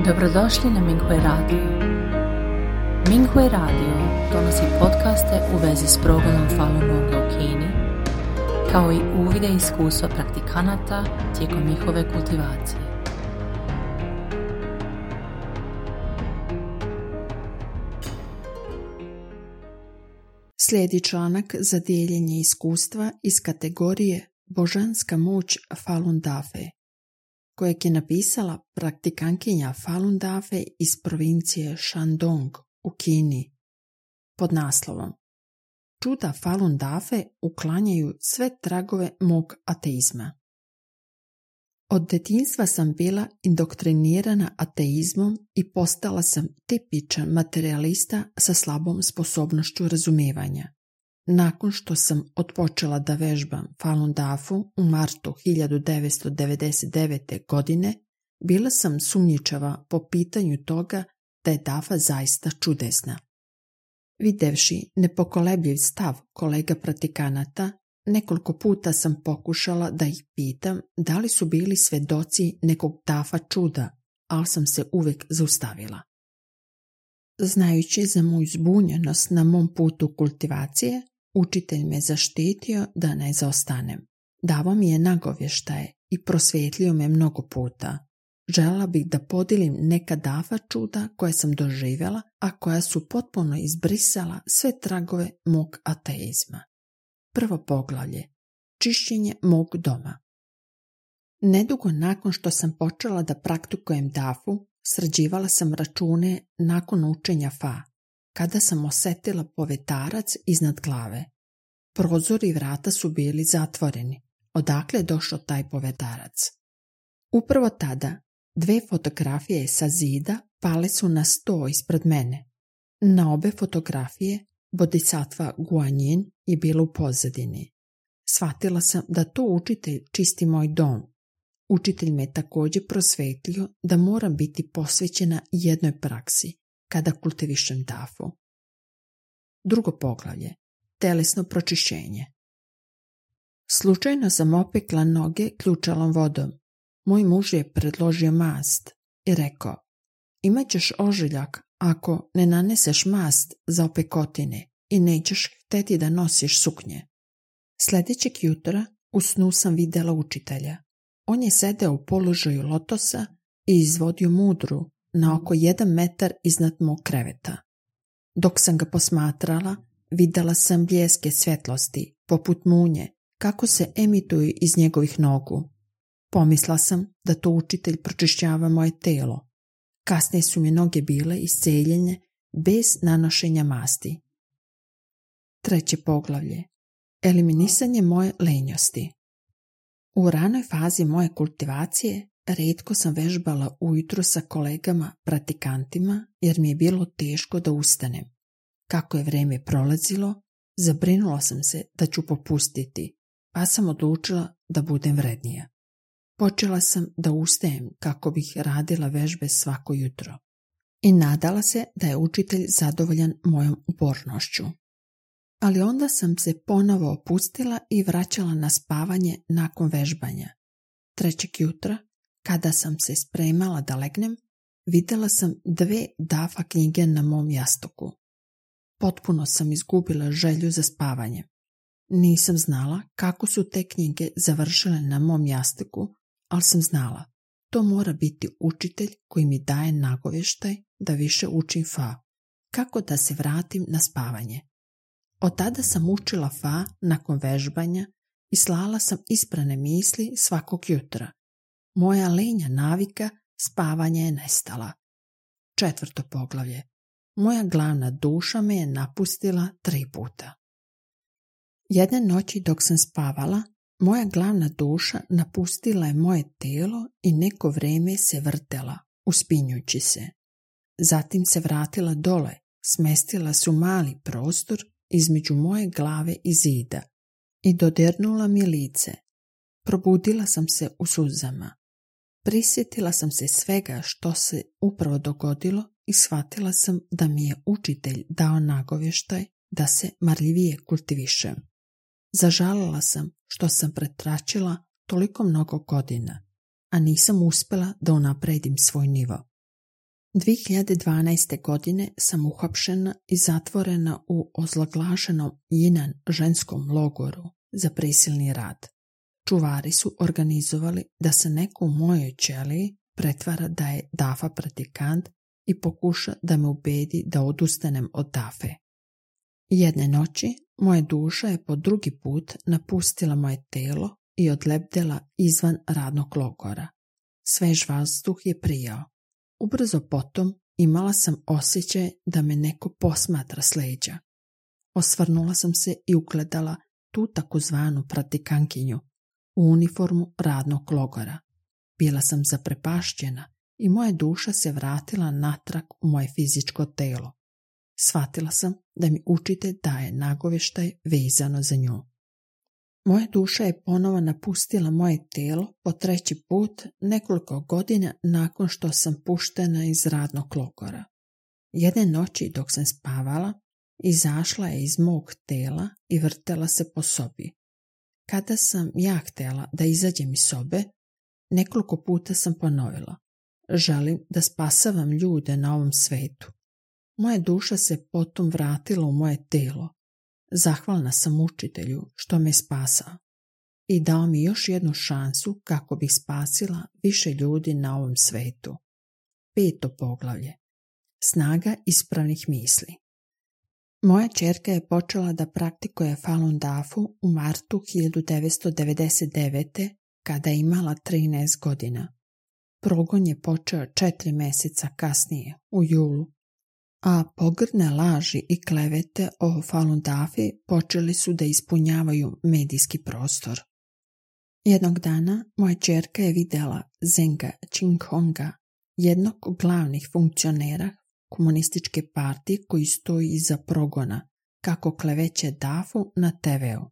Dobrodošli na Minghui Radio. Minghui Radio donosi podcaste u vezi s progledom Falun Gonga u Kini, kao i uvide i iskustva praktikanata tijekom njihove kultivacije. Slijedi članak za dijeljenje iskustva iz kategorije Božanska moć Falun Dafe, kojeg je napisala praktikantkinja Falun Dafe iz provincije Shandong u Kini, pod naslovom Čuda Falun Dafe uklanjaju sve tragove mog ateizma. Od djetinjstva sam bila indoktrinirana ateizmom i postala sam tipičan materijalista sa slabom sposobnošću razumijevanja. Nakon što sam otpočela da vežbam Falun Dafu u martu 1999. godine, bila sam sumnjičava po pitanju toga da je Dafa zaista čudesna. Videvši nepokolebljiv stav kolega praktikanata, nekoliko puta sam pokušala da ih pitam da li su bili svedoci nekog Dafa čuda, ali sam se uvijek zaustavila. Znajući za moju zbunjenost na mom putu kultivacije, učitelj me zaštitio da ne zaostanem. Davo mi je nagovještaje i prosvjetlio me mnogo puta. Željela bih da podijelim neka Dafa čuda koje sam doživjela, a koja su potpuno izbrisala sve tragove mog ateizma. Prvo poglavlje. Čišćenje mog doma. Nedugo nakon što sam počela da praktikujem Dafu, sređivala sam račune nakon učenja Fa, kada sam osjetila povetarac iznad glave. Prozori i vrata su bili zatvoreni. Odakle je došao taj povetarac? Upravo tada 2 fotografije sa zida pale su na sto ispred mene. Na obe fotografije Bodhisattva Guanyin je bila u pozadini. Shvatila sam da to učitelj čisti moj dom. Učitelj me također prosvetlio da moram biti posvećena jednoj praksi kada kultivišem Dafu. Drugo poglavlje. Telesno pročišćenje. Slučajno sam opekla noge ključalom vodom. Moj muž je predložio mast i rekao: imat ćeš ožiljak ako ne naneseš mast za opekotine i nećeš hteti da nosiš suknje. Sljedećeg jutra u snu sam vidjela učitelja. On je sedeo u položaju lotosa i izvodio mudru na oko 1 metar iznad mog kreveta. Dok sam ga posmatrala, vidjela sam bljeske svjetlosti, poput munje, kako se emituju iz njegovih nogu. Pomisla sam da to učitelj pročišćava moje telo. Kasnije su mi noge bile isceljene bez nanošenja masti. Treće poglavlje. Eliminisanje moje lenjosti. U ranoj fazi moje kultivacije rijetko sam vežbala ujutro sa kolegama praktikantima jer mi je bilo teško da ustanem. Kako je vrijeme prolazilo, zabrinula sam se da ću popustiti, pa sam odlučila da budem vrednija. Počela sam da ustajem kako bih radila vežbe svako jutro i nadala se da je učitelj zadovoljan mojom upornošću. Ali onda sam se ponovo opustila i vraćala na spavanje nakon vežbanja. Trećeg jutra, kada sam se spremala da legnem, vidjela sam 2 Dafa knjige na mom jastuku. Potpuno sam izgubila želju za spavanje. Nisam znala kako su te knjige završile na mom jastuku, ali sam znala, to mora biti učitelj koji mi daje nagovještaj da više učim Fa, kako da se vratim na spavanje. Od tada sam učila Fa nakon vežbanja i slala sam isprane misli svakog jutra. Moja lenja navika spavanja je nestala. Četvrto poglavlje. Moja glavna duša me je napustila 3 puta. Jedne noći dok sam spavala, moja glavna duša napustila je moje tijelo i neko vrijeme se vrtela, uspinjući se. Zatim se vratila dole, smestila se u mali prostor između moje glave i zida i dodirnula mi lice. Probudila sam se u suzama. Prisjetila sam se svega što se upravo dogodilo i shvatila sam da mi je učitelj dao nagovještaj da se marljivije kultivišem. Zažalila sam što sam pretračila toliko mnogo godina, a nisam uspjela da unapredim svoj nivo. 2012. godine sam uhapšena i zatvorena u ozloglašenom Jinan ženskom logoru za prisilni rad. Čuvari su organizovali da se neko u mojoj ćeliji pretvara da je Dafa praktikant i pokuša da me ubedi da odustanem od Dafe. Jedne noći moja duša je po drugi put napustila moje telo i odlepdela izvan radnog logora. Svež vazduh je prijao. Ubrzo potom imala sam osjećaj da me neko posmatra s leđa. Osvrnula sam se i ugledala tu takozvanu praktikankinju u uniformu radnog logora. Bila sam zaprepašćena i moja duša se vratila natrag u moje fizičko telo. Shvatila sam da mi učitelj daje nagovještaj vezano za nju. Moja duša je ponovo napustila moje telo po treći put nekoliko godina nakon što sam puštena iz radnog logora. Jedne noći dok sam spavala, izašla je iz mog tela i vrtela se po sobi. Kada sam ja htjela da izađem iz sobe, nekoliko puta sam ponovila: želim da spasavam ljude na ovom svetu. Moja duša se potom vratila u moje telo. Zahvalna sam učitelju što me spasao i dao mi još jednu šansu kako bih spasila više ljudi na ovom svetu. 5. poglavlje. Snaga ispravnih misli. Moja ćerka je počela da praktikuje Falun Dafu u martu 1999. kada je imala 13 godina. Progon je počeo 4 mjeseca kasnije, u julu, a pogrdne laži i klevete o Falun Dafi počeli su da ispunjavaju medijski prostor. Jednog dana moja ćerka je vidjela Zenga Qinghonga, jednog od glavnih funkcionera komunističke partije koji stoji iza progona, kako kleveće Dafu na TV-u.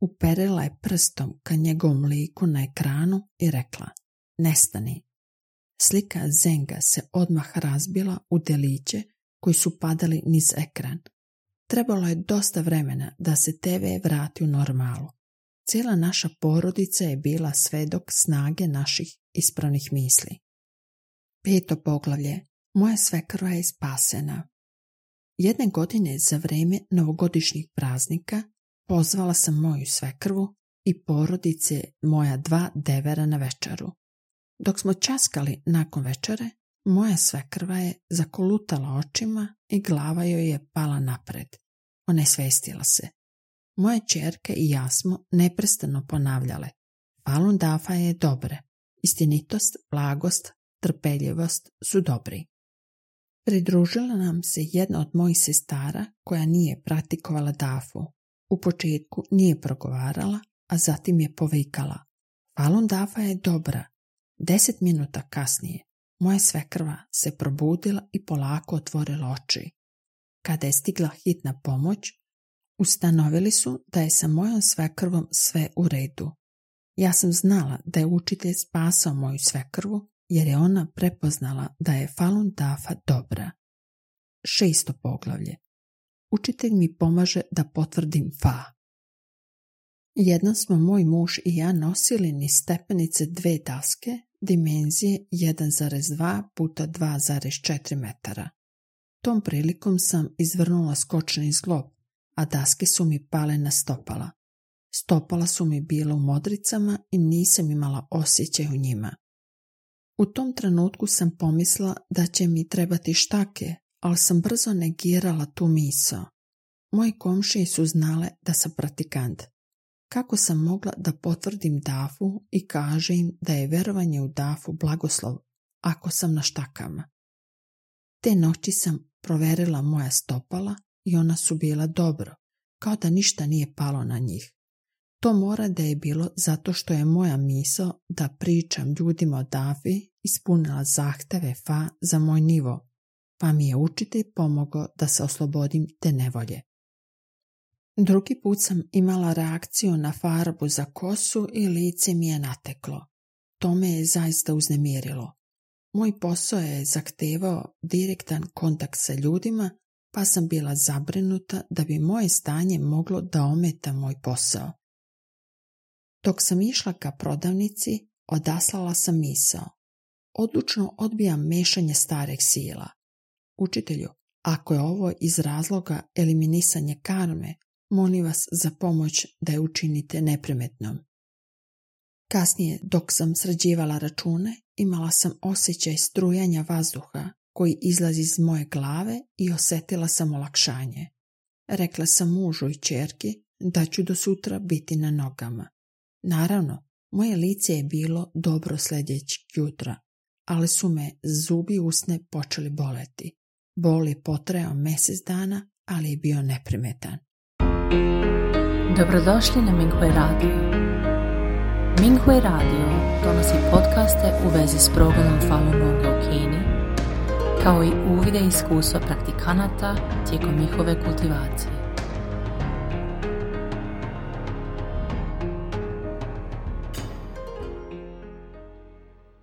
Uperila je prstom ka njegovom liku na ekranu i rekla: nestani. Slika Zenga se odmah razbila u deliće koji su padali niz ekran. Trebalo je dosta vremena da se TV vrati u normalu. Cijela naša porodica je bila svedok snage naših ispravnih misli. 5. poglavlje. Moja svekrva je spasena. Jedne godine za vrijeme novogodišnjih praznika pozvala sam moju svekrvu i porodice moja 2 devera na večeru. Dok smo časkali nakon večere, moja svekrva je zakolutala očima i glava joj je pala napred. Onesvestila se. Moje ćerke i ja smo neprestano ponavljale: Falun Dafa je dobre. Istinitost, blagost, trpeljivost su dobri. Pridružila nam se jedna od mojih sestara koja nije praktikovala Dafu. U početku nije progovarala, a zatim je povikala: Falun Dafa je dobra. 10 minuta kasnije moja svekrva se probudila i polako otvorila oči. Kada je stigla hitna pomoć, ustanovili su da je sa mojom svekrvom sve u redu. Ja sam znala da je učitelj spasao moju svekrvu jer je ona prepoznala da je Falun Dafa dobra. 6. poglavlje. Učitelj mi pomaže da potvrdim Fa. Jednom smo moj muž i ja nosili niz stepenice 2 daske dimenzije 1,2 puta 2,4 metara. Tom prilikom sam izvrnula skočni zglob, a daske su mi pale na stopala. Stopala su mi bila u modricama i nisam imala osjećaj u njima. U tom trenutku sam pomislila da će mi trebati štake, ali sam brzo negirala tu misao. Moji komšije su znale da sam praktikant. Kako sam mogla da potvrdim Dafu i kaže im da je verovanje u Dafu blagoslov ako sam na štakama? Te noći sam proverila moja stopala i ona su bila dobro, kao da ništa nije palo na njih. To mora da je bilo zato što je moja misao da pričam ljudima o Dafi ispunila zahteve Fa za moj nivo, pa mi je učitelj pomogao da se oslobodim te nevolje. Drugi put sam imala reakciju na farbu za kosu i lice mi je nateklo. To me je zaista uznemirilo. Moj posao je zahtevao direktan kontakt sa ljudima, pa sam bila zabrinuta da bi moje stanje moglo da ometa moj posao. Dok sam išla ka prodavnici, odaslala sam misao: odlučno odbijam mešanje starih sila. Učitelju, ako je ovo iz razloga eliminisanja karme, molim vas za pomoć da je učinite neprimetnom. Kasnije, dok sam sređivala račune, imala sam osjećaj strujanja vazduha koji izlazi iz moje glave i osjetila sam olakšanje. Rekla sam mužu i ćerki da ću do sutra biti na nogama. Naravno, moje lice je bilo dobro sljedećeg jutra, ali su me zubi usne počeli boleti. Bol je potrajao mjesec dana, ali je bio neprimetan. Dobrodošli na Minghui Radio. Minghui Radio donosi podcaste u vezi s progledom Falun Gonga u Kini, kao i uvide iskustva praktikanata tijekom njihove kultivacije.